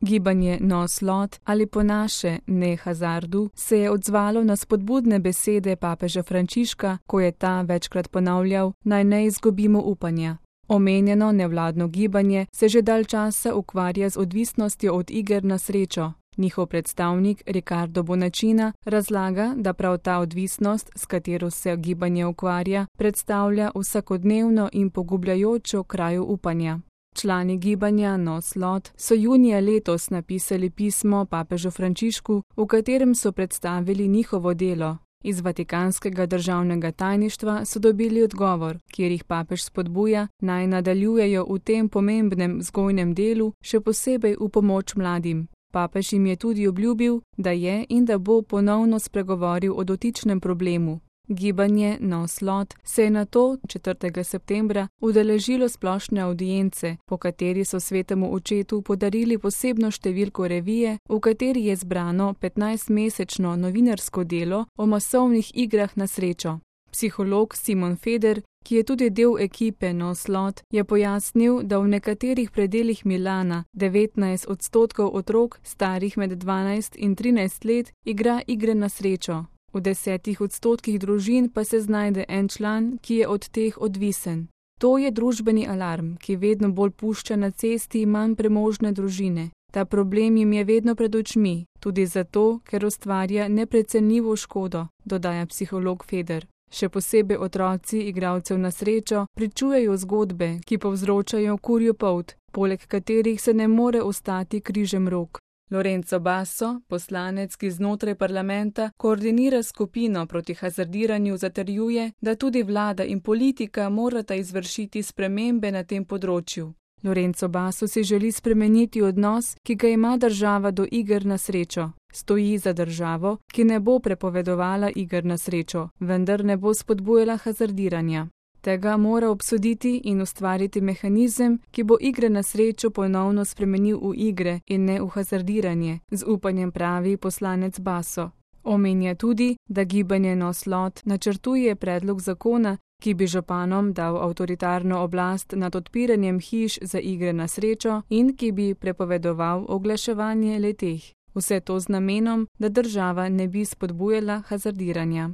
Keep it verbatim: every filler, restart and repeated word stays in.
Gibanje No Slot ali po naše Ne hazardu se je odzvalo na spodbudne besede papeža Frančiška, ko je ta večkrat ponavljal, naj ne izgubimo upanja. Omenjeno nevladno gibanje se že dalj časa ukvarja z odvisnostjo od iger na srečo. Njihov predstavnik Riccardo Bonacina razlaga, da prav ta odvisnost, s katero se gibanje ukvarja, predstavlja vsakodnevno in pogubljajočo krajo upanja. Člani gibanja No Slot so junija letos napisali pismo papežu Frančišku, v katerem so predstavili njihovo delo. Iz Vatikanskega državnega tajništva so dobili odgovor, kjer jih papež spodbuja, naj nadaljujejo v tem pomembnem vzgojnem delu, še posebej v pomoč mladim. Papež jim je tudi obljubil, da je in da bo ponovno spregovoril o dotičnem problemu. Gibanje No Slot se je nato četrtega septembra udeležilo splošne avdience, po kateri so svetemu očetu podarili posebno številko revije, v kateri je zbrano petnajstmesečno novinarsko delo o masovnih igrah na srečo. Psiholog Simon Feder, ki je tudi del ekipe No Slot, je pojasnil, da v nekaterih predelih Milana devetnajst odstotkov otrok, starih med dvanajst in trinajst let, igra igre na srečo. V desetih odstotkih družin pa se znajde en član, ki je od teh odvisen. To je družbeni alarm, ki vedno bolj pušča na cesti manj premožne družine. Ta problem jim je vedno pred očmi, tudi zato, ker ustvarja neprecenljivo škodo, dodaja psiholog Feder. Še posebej otroci igralcev na srečo pričujejo zgodbe, ki povzročajo kurjo polt, poleg katerih se ne more ostati križem rok. Lorenzo Basso, poslanec, ki znotraj parlamenta koordinira skupino proti hazardiranju, zatrjuje, da tudi vlada in politika morata izvršiti spremembe na tem področju. Lorenzo Basso si želi spremeniti odnos, ki ga ima država do iger na srečo. Stoji za državo, ki ne bo prepovedovala iger na srečo, vendar ne bo spodbujala hazardiranja. Tega mora obsoditi in ustvariti mehanizem, ki bo igre na srečo ponovno spremenil v igre in ne v hazardiranje, z upanjem pravi poslanec Basso. Omenja tudi, da gibanje No Slot načrtuje predlog zakona, ki bi županom dal avtoritarno oblast nad odpiranjem hiš za igre na srečo in ki bi prepovedoval oglaševanje le-teh. Vse to z namenom, da država ne bi spodbujala hazardiranja.